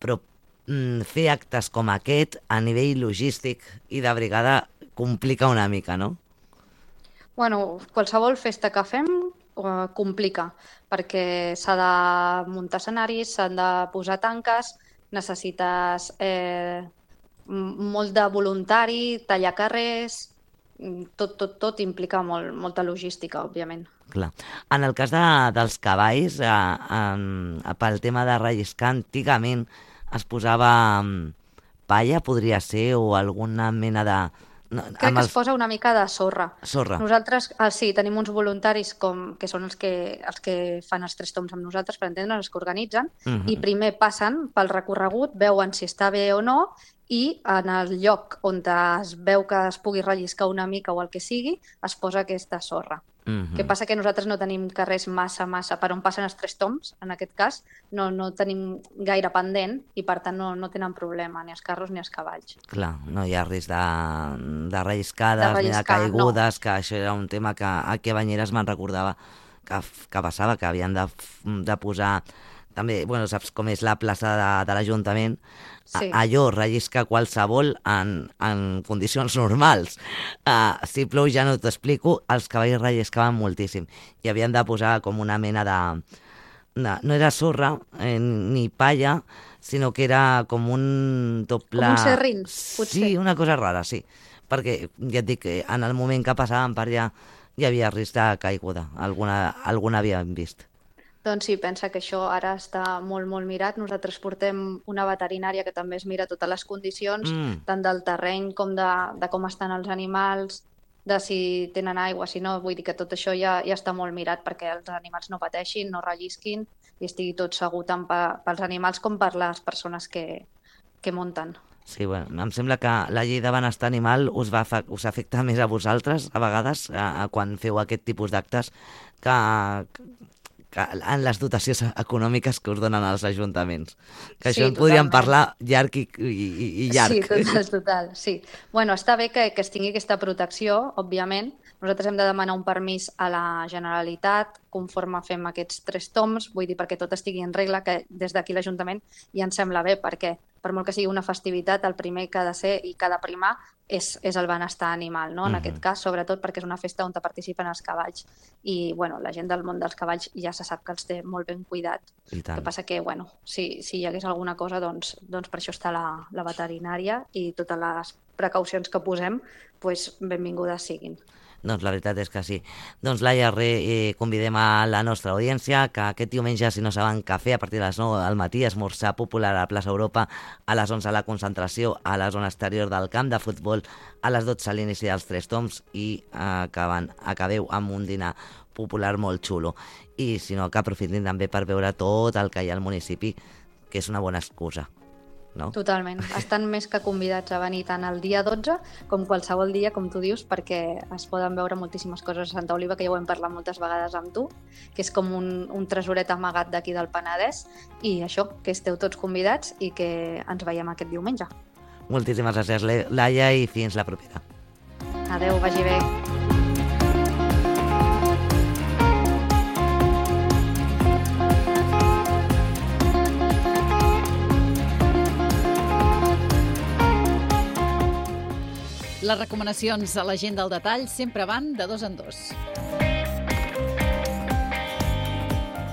però mm, fer actes com aquest a nivell logístic i de brigada complica una mica, no? Bueno, qualsevol festa que fem eh, complica, perquè s'ha de muntar escenaris, s'han de posar tanques, necessites eh, molt de voluntari, tallar carrers, tot, tot, tot implica molt, molta logística, òbviament. Clar. En el cas de, dels cavalls, eh, eh, pel tema de relliscar, antigament es posava eh, palla, podria ser, o alguna mena de... No, Crec que es posa una mica de sorra. Sorra. Nosaltres, ah, sí, tenim uns voluntaris com, que són els que, els que fan els tres toms amb nosaltres, per entendre'ns, els que organitzen, Mhm. i primer passen pel recorregut, veuen si està bé o no, i en el lloc on es veu que es pugui relliscar una mica o el que sigui, es posa aquesta sorra. Mhm. Què passa que nosaltres no tenim carrers massa, massa, per on passen els tres toms, en aquest cas, no, no tenim gaire pendent i per tant no, no tenen problema, ni els carros ni els cavalls. Clar, no hi ha risc de, de relliscades De ni de relliscar, caigudes, no. Que això era un tema que aquí a Banyeres me'n recordava que, que passava, que havien de, de posar... També, bueno, saps com és la plaça de, de l'Ajuntament? Sí. A, allò rellisca qualsevol en, en condicions normals. Uh, si plou ja no t'ho explico, els cavalls relliscaven moltíssim i havien de posar com una mena de... de no era sorra eh, ni palla, sinó que era com un doble... Com un serrín, potser. Sí, una cosa rara, sí. Perquè, ja et dic, en el moment que passàvem per allà hi havia risc de caiguda. Alguna, alguna havíem vist. Doncs sí, pensa que això ara està molt, molt mirat. Nosaltres portem una veterinària que també es mira totes les condicions, Mm. tant del terreny com de, de com estan els animals, de si tenen aigua, si no. Vull dir que tot això ja, ja està molt mirat perquè els animals no pateixin, no rellisquin i estigui tot segur tant pe- pels animals com per les persones que, que munten. Sí, bueno, em sembla que la llei de benestar animal us, va, fa- us afecta més a vosaltres, a vegades, a, a quan feu aquest tipus d'actes, que, que en les dotacions econòmiques que us donen els ajuntaments. Que Sí, això en podríem totalment. parlar llarg i, i, i llarg. Sí, total, total, sí. Bueno, està bé que, que es tingui aquesta protecció, òbviament. Nosaltres hem de demanar un permís a la Generalitat conforme fem aquests tres toms, vull dir, perquè tot estigui en regla, que des d'aquí l'Ajuntament ja ens sembla bé, perquè per molt que sigui una festivitat, el primer que ha de ser i que ha de primar és, és el benestar animal, no? En Mhm. aquest cas, sobretot perquè és una festa on participen els cavalls. I, bueno, la gent del món dels cavalls ja se sap que els té molt ben cuidat. I El tant. que passa que, bueno, si, si hi hagués alguna cosa, doncs, doncs per això està la, la veterinària i totes les precaucions que posem, doncs benvingudes siguin. Doncs la veritat és que sí. Doncs Laia, re, eh, convidem a la nostra audiència que aquest diumenge, si no saben què fer, a partir de les nou del matí, esmorzar popular a la plaça Europa, a les onze la concentració a la zona exterior del camp de futbol, a les dotze l'inici dels tres toms i acaben, acabeu amb un dinar popular molt xulo. I si no, que aprofitin també per veure tot el que hi ha al municipi, que és una bona excusa. No? Totalment. Estan més que convidats a venir tant el dia dotze com qualsevol dia, com tu dius, perquè es poden veure moltíssimes coses a Santa Oliva, que ja ho hem parlat moltes vegades amb tu, que és com un, un tresoret amagat d'aquí del Penedès, i això, que esteu tots convidats i que ens veiem aquest diumenge. Moltíssimes gràcies, Laia, i fins la propera. Adeu, vagi bé. Les recomanacions a la gent del detall sempre van de dos en dos.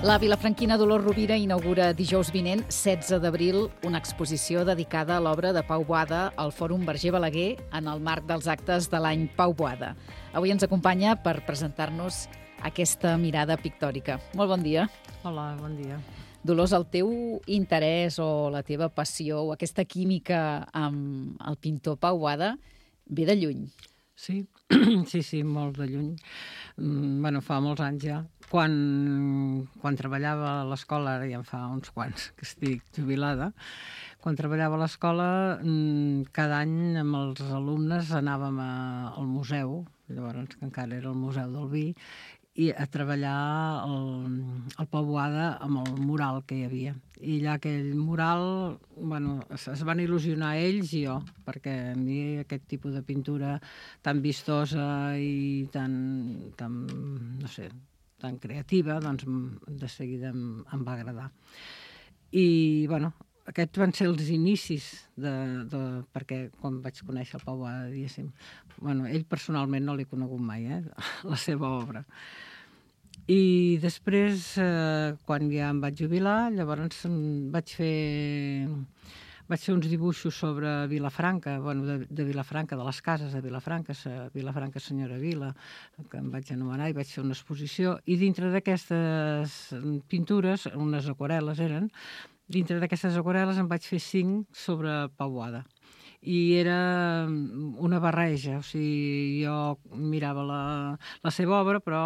La vilafranquina Dolors Rovira inaugura dijous vinent, setze d'abril, una exposició dedicada a l'obra de Pau Boada al Fòrum Verger Balaguer en el marc dels actes de l'any Pau Boada. Avui ens acompanya per presentar-nos aquesta mirada pictòrica. Molt bon dia. Hola, bon dia. Dolors, el teu interès o la teva passió o aquesta química amb el pintor Pau Boada ve de lluny. Sí, sí, sí, molt de lluny. Mm, bueno, fa molts anys ja. Quan, quan treballava a l'escola, ara ja en fa uns quants que estic jubilada, quan treballava a l'escola, cada any amb els alumnes anàvem a, al museu, llavors que encara era el Museu del Vi, i a treballar el, el Pau Boada amb el mural que hi havia. I allà aquell mural, bueno, es, es van il·lusionar ells i jo, perquè a mi aquest tipus de pintura tan vistosa i tan, tan no sé, tan creativa, doncs de seguida em, em va agradar. I, bueno, aquests van ser els inicis de, de, perquè quan vaig conèixer el Pau Boada, diguéssim, bueno, ell personalment no l'he conegut mai, eh, la seva obra. I després, eh, quan ja em vaig jubilar, llavors vaig fer, vaig fer uns dibuixos sobre Vilafranca, bueno, de, de Vilafranca, de les cases de Vilafranca, Vilafranca Senyora Vila, que em vaig anomenar, i vaig fer una exposició, i dintre d'aquestes pintures, unes aquarel·les eren, dintre d'aquestes aquarel·les en vaig fer cinc sobre Pau Boada. I era una barreja, o sigui, jo mirava la, la seva obra, però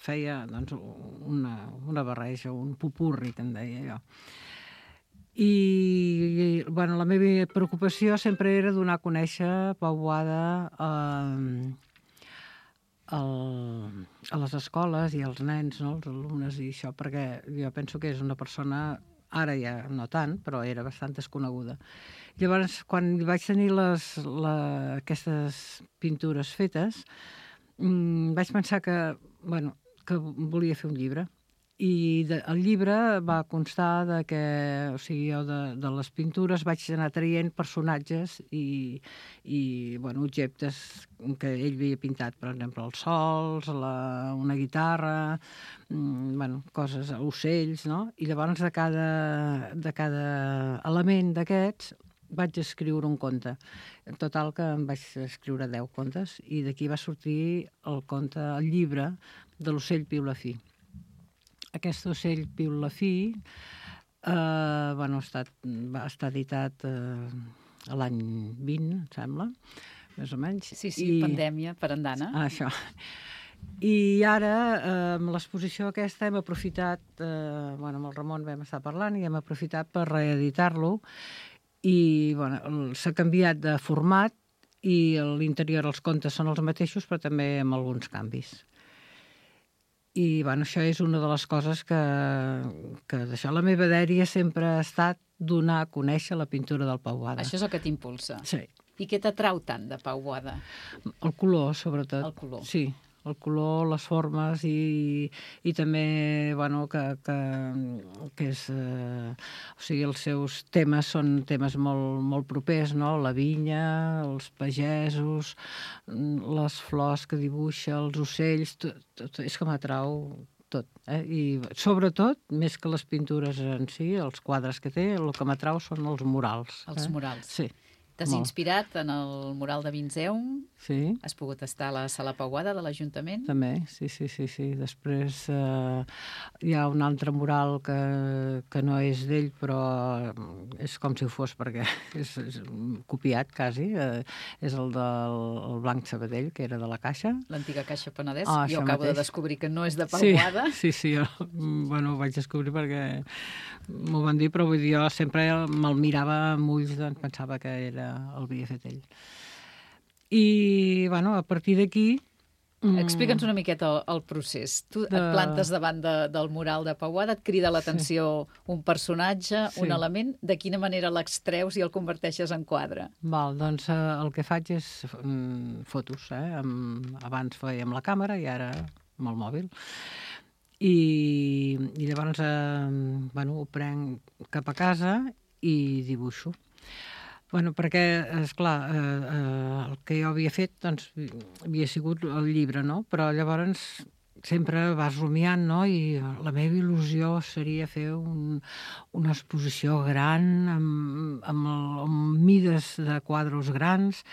feia doncs, una, una barreja, un pupurri, que en deia jo. I, i bueno, la meva preocupació sempre era donar a conèixer Pau Boada eh, el, a les escoles i als nens, no? Els alumnes i això, perquè jo penso que és una persona, ara ja no tant, però era bastant desconeguda. Llavors, quan vaig tenir les, la, aquestes pintures fetes, mmm, vaig pensar que, bueno, que volia fer un llibre. I de, el llibre va constar de que, o sigui, jo de, de les pintures vaig anar traient personatges i, i bueno, objectes que ell havia pintat, per exemple, els sols, la, una guitarra, mm, bueno, coses, ocells, no? I llavors de cada, de cada element d'aquests vaig escriure un conte. En total que em vaig escriure deu contes i d'aquí va sortir el conte, el llibre de l'ocell piulafí. Aquest ocell piulafí eh, bueno, ha estat, va estar editat eh, l'any vint, em sembla, més o menys. Sí, sí, I... pandèmia per andana. Ah, això. I ara, eh, amb l'exposició aquesta, hem aprofitat, eh, bueno, amb el Ramon vam estar parlant i hem aprofitat per reeditar-lo. I bueno, s'ha canviat de format i a l'interior els contes són els mateixos, però també amb alguns canvis. I bueno, això és una de les coses que, que d'això la meva dèria sempre ha estat donar a conèixer la pintura del Pau Boada. Això és el que t'impulsa. Sí. I què t'atrau tant de Pau Boada? El color, sobretot. El color. Sí, el color, les formes i, i també, bueno, que, que, que és... Eh, o sigui, els seus temes són temes molt, molt propers, no? La vinya, els pagesos, les flors que dibuixa, els ocells, tot, tot és que m'atrau tot. Eh? I sobretot, més que les pintures en si, els quadres que té, el que m'atrau són els murals. Els eh? murals. Sí. T'has Molt. inspirat en el mural de Vinzeum? Sí. Has pogut estar a la Sala Pau Boada de l'Ajuntament? També, sí, sí, sí. sí. Després eh, hi ha un altre mural que, que no és d'ell, però és com si ho fos, perquè és, és copiat, quasi. Eh, és el del el Blanc Sabadell, que era de la Caixa. L'antiga Caixa Penedès. Ah, jo acabo mateix. de descobrir que no és de Pau sí, Boada. Sí, sí, jo bueno, ho vaig descobrir perquè m'ho van dir, però vull dir, jo sempre me'l mirava amb ulls, doncs pensava que era el havia fet ell. I, bueno, a partir d'aquí... Explica'ns una miqueta el, el procés. Tu de... et plantes davant de, del mural de Pau Boada, et crida l'atenció sí. un personatge, sí. un element, de quina manera l'extreus i el converteixes en quadre? Val, doncs eh, el que faig és mm, fotos, eh? Amb, abans feia amb la càmera i ara amb el mòbil. I, i llavors eh, bueno, ho prenc cap a casa i dibuixo. Bueno, perquè, esclar, eh, eh, el que jo havia fet, doncs, havia sigut el llibre, no? Però llavors sempre vas rumiant, no? I la meva il·lusió seria fer un, una exposició gran, amb, amb, el, amb mides de quadros grans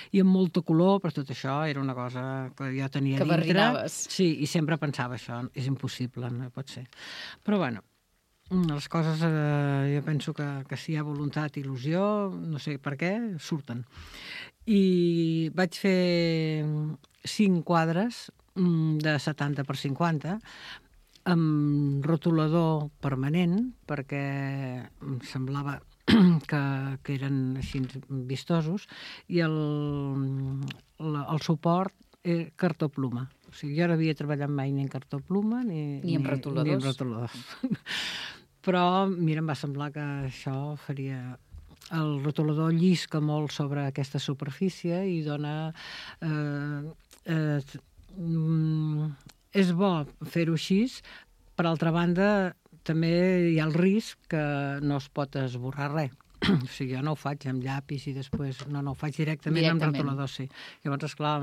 i amb molta color, però tot això era una cosa que jo tenia que dintre. barrinaves. Sí, i sempre pensava això, és impossible, no pot ser. Però, bueno, les coses, eh, jo penso que, que si hi ha voluntat i il·lusió, no sé per què, surten. I vaig fer cinc quadres de setanta per cinquanta amb rotulador permanent, perquè em semblava que, que eren així vistosos, i el, el suport era cartó pluma. O sigui, jo no havia treballat mai ni en cartó pluma ni, ni amb rotuladors. Ni amb rotuladors. Però, mira, em va semblar que això faria... El rotulador llisca molt sobre aquesta superfície i dona... Eh, eh, és bo fer-ho així. Per altra banda, també hi ha el risc que no es pot esborrar res. O sigui, jo no ho faig amb llapis i després... No, no, ho faig directament, directament. amb rotulador, sí. Llavors, esclar,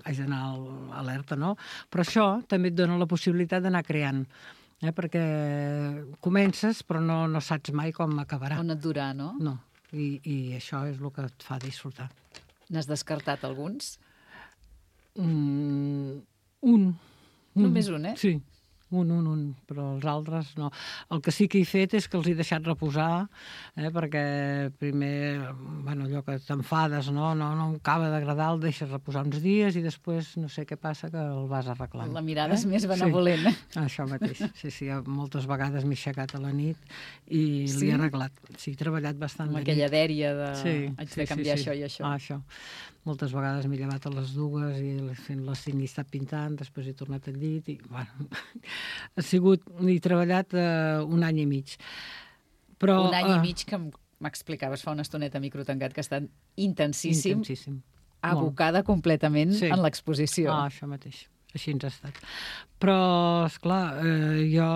haig d'anar alerta, no? Però això també et dona la possibilitat d'anar creant. Eh? Perquè comences, però no, no saps mai com acabarà. On et durà, no? No. I, i això és el que et fa disfrutar. N'has descartat alguns? Mm, un. Només un, eh? Sí, un, un, un, però els altres no. El que sí que he fet és que els he deixat reposar, eh, perquè primer, bueno, allò que t'enfades, no, no, no acaba d'agradar, el deixes reposar uns dies i després no sé què passa, que el vas arreglant. La mirada eh? és més benevolent. Sí, això mateix. Sí, sí, moltes vegades m'he aixecat a la nit i sí? l'he arreglat. Sí, he treballat bastant. Amb aquella dèria de... Sí, haig sí, de canviar sí, sí. això i això. Ah, això. Moltes vegades m'he llevat a les dues i fent les cinc i he estat pintant, després he tornat al llit i, bueno, ha sigut, he treballat uh, un any i mig. Però, un any uh, i mig que m'explicaves fa una estoneta a micro tancat que ha estat intensíssim, intensíssim. abocada Molt. completament sí. en l'exposició. Ah, això mateix. Així ens ha estat. Però, esclar, eh, jo,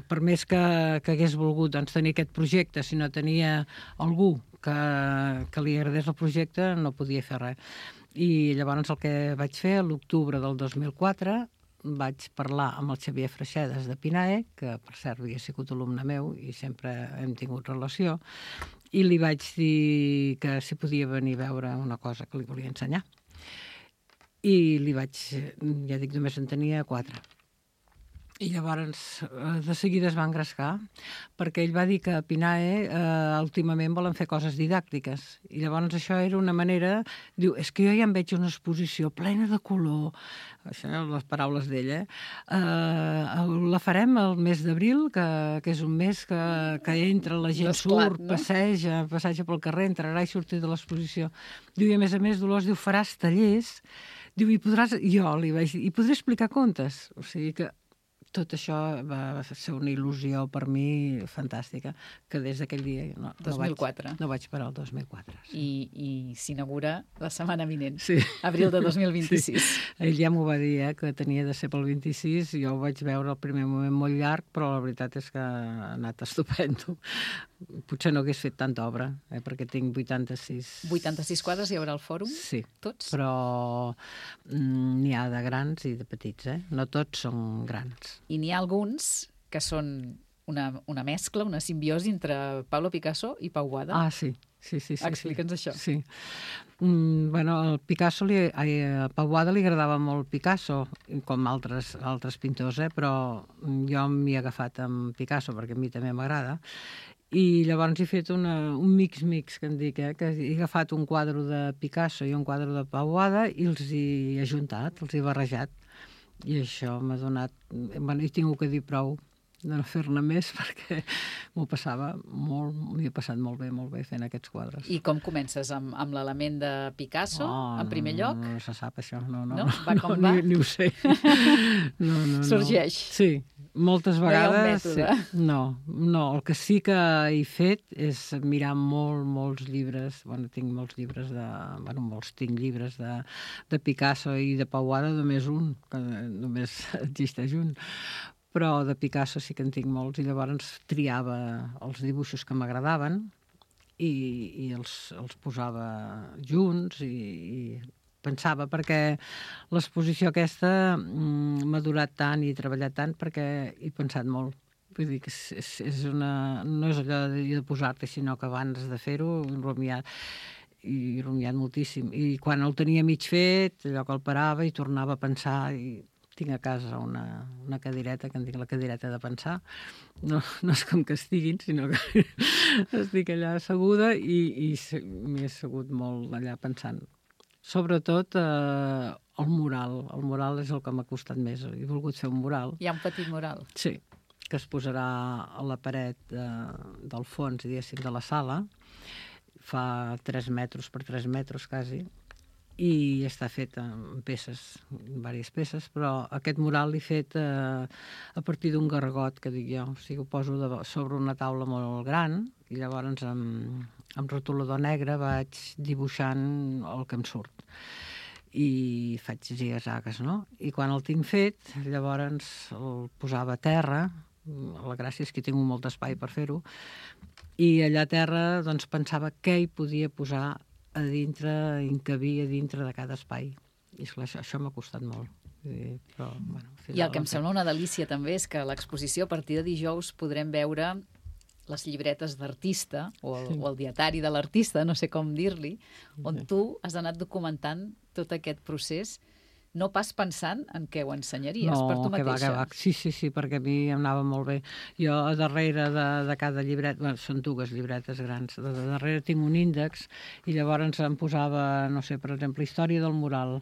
per més que, que hagués volgut doncs, tenir aquest projecte, si no tenia algú que, que li agradés el projecte, no podia fer res. I llavors el que vaig fer, a l'octubre del dos mil quatre, vaig parlar amb el Xavier Freixedes de Pinae, que per cert havia sigut alumne meu i sempre hem tingut relació, i li vaig dir que si podia venir a veure una cosa que li volia ensenyar. I li vaig, ja dic, només en tenia quatre. I llavors de seguida es va engrescar, perquè ell va dir que a Pinae eh, últimament volen fer coses didàctiques. I llavors això era una manera... Diu, és que jo ja em veig una exposició plena de color, això eren les paraules d'ell, eh? eh? La farem el mes d'abril, que, que és un mes que, que entra, la gent Desclat, surt, no? passeja, passeja pel carrer, entrarà i sortir de l'exposició. Diu, i a més a més, Dolors, diu, faràs tallers, diu, i podràs... Jo li vaig dir, i podré explicar contes. O sigui que tot això va ser una il·lusió per mi fantàstica, que des d'aquell dia no, dos mil quatre. No, vaig, no vaig parar el dos mil quatre. Sí. I, i s'inaugura la setmana vinent, sí. abril de dos mil vint-i-sis. Sí. Ell ja m'ho va dir, eh, que tenia de ser pel vint-i-sis, jo ho vaig veure al primer moment molt llarg, però la veritat és que ha anat estupendo. Potser no hagués fet tanta obra, eh, perquè tinc vuitanta-sis... vuitanta-sis quadres hi haurà al fòrum? Sí. Tots? Però mm, n'hi ha de grans i de petits, eh? No tots són grans. I n'hi ha alguns que són una, una mescla, una simbiosi entre Pablo Picasso i Pau Boada. Ah, sí. Sí, sí, sí, Explica'ns sí. això. Sí. Mm, bueno, al Picasso li, a Pau Boada li agradava molt Picasso, com altres, altres pintors, eh? Però jo m'hi he agafat amb Picasso perquè a mi també m'agrada. I llavors he fet una, un mix-mix, que en dic, eh? Que he agafat un quadre de Picasso i un quadre de Pau Boada i els he ajuntat, els he barrejat. I això m'ha donat... Bueno, he tingut que dir prou de no fer-ne més perquè m'ho passava molt, m'hi he passat molt bé, molt bé fent aquests quadres. I com comences? Amb, amb l'element de Picasso, oh, en primer no, lloc? No, no se sap això, no, no. No? Va com no, va? Ni, ni ho sé. No, no, Sorgeix? No. Sí, moltes vegades... No hi ha un mètode? Sí. No, no, el que sí que he fet és mirar molt, molts llibres, bueno, tinc molts llibres de... Bueno, molts tinc llibres de, de Picasso i de Pau Boada, només un, que només existeix un. Però de Picasso sí que en tinc molts i llavors triava els dibuixos que m'agradaven i, i els, els posava junts i, i pensava, perquè l'exposició aquesta mm, m'ha durat tant i he treballat tant perquè he pensat molt. Vull dir que és, és una, no és allò de, de posar-te, sinó que abans de fer-ho he rumiat, i he rumiat moltíssim. I quan el tenia mig fet, allò que el parava i tornava a pensar i tinc a casa una, una cadireta, que en dic la cadireta de pensar. No, no és com que estiguin, sinó que estic allà asseguda i, i m'he assegut molt allà pensant. Sobretot eh, el mural. El mural és el que m'ha costat més. He volgut fer un mural. Hi ha un petit mural? Sí, que es posarà a la paret de, del fons, diguéssim, de la sala. Fa tres metres per tres metres, quasi, i està fet en peces, diverses peces, però aquest mural l'he fet eh, a partir d'un gargot, que dic jo. O sigui, ho poso de, sobre una taula molt gran, i llavors amb, amb rotulador negre vaig dibuixant el que em surt. I faig zigazagues, no? I quan el tinc fet, llavors el posava a terra. La gràcia és que tinc molt d'espai per fer-ho, i allà a terra doncs, pensava què hi podia posar a dintre, encabir a dintre de cada espai. I esclar, això, això m'ha costat molt. I, però, bueno, I el que em sembla una delícia també és que a l'exposició a partir de dijous podrem veure les llibretes d'artista o, el, sí. o el dietari de l'artista, no sé com dir-li, on tu has anat documentant tot aquest procés, no pas pensant en què ho ensenyaries no, per tu mateixa. No, que va, que va. Sí, sí, sí, perquè a mi em anava molt bé. Jo a darrere de, de cada llibret, bueno, són dues llibretes grans, de, de darrere tinc un índex i llavors em posava, no sé, per exemple, història del mural,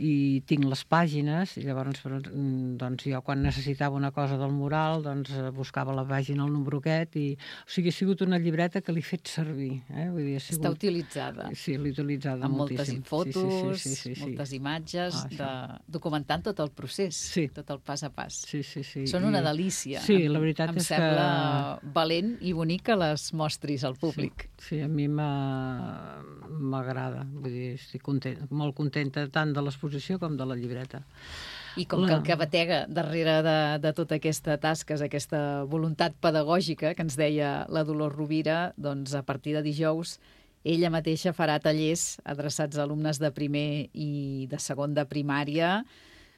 i tinc les pàgines, i llavors doncs, jo quan necessitava una cosa del mural doncs buscava la pàgina, el número aquest, i o sigui, ha sigut una llibreta que l'he fet servir. Eh? Vull dir, ha sigut... Està utilitzada. Sí, l'he utilitzada amb moltíssim. Amb moltes fotos, sí, sí, sí, sí, sí, moltes sí. imatges, ah, de documentant tot el procés, sí. tot el pas a pas. Sí, sí, sí. Són una delícia. Sí, la veritat em és que... Em sembla valent i bonic que les mostris al públic. Sí, sí, a mi m'agrada. Vull dir, estic content, molt contenta tant de l'exposició com de la llibreta. I com la... que el que batega darrere de, de tota aquesta tasca és aquesta voluntat pedagògica que ens deia la Dolors Rovira, doncs a partir de dijous ella mateixa farà tallers adreçats a alumnes de primer i de segon de primària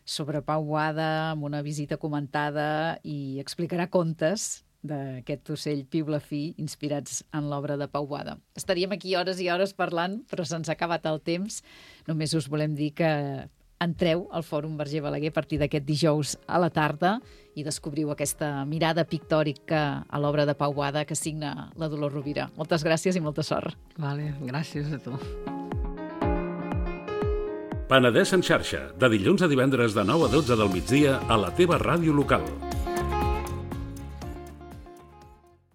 sobre Pau Boada, amb una visita comentada, i explicarà contes d'aquest ocell piulafí inspirats en l'obra de Pau Boada. Estaríem aquí hores i hores parlant, però se'ns ha acabat el temps. Només us volem dir que entreu al Fòrum Verger Balaguer a partir d'aquest dijous a la tarda i descobriu aquesta mirada pictòrica a l'obra de Pau Boada que signa la Dolors Rovira. Moltes gràcies i molta sort. Vale, gràcies a tu. Penedès en xarxa, de dilluns a divendres de nou a dotze del migdia a la teva ràdio local.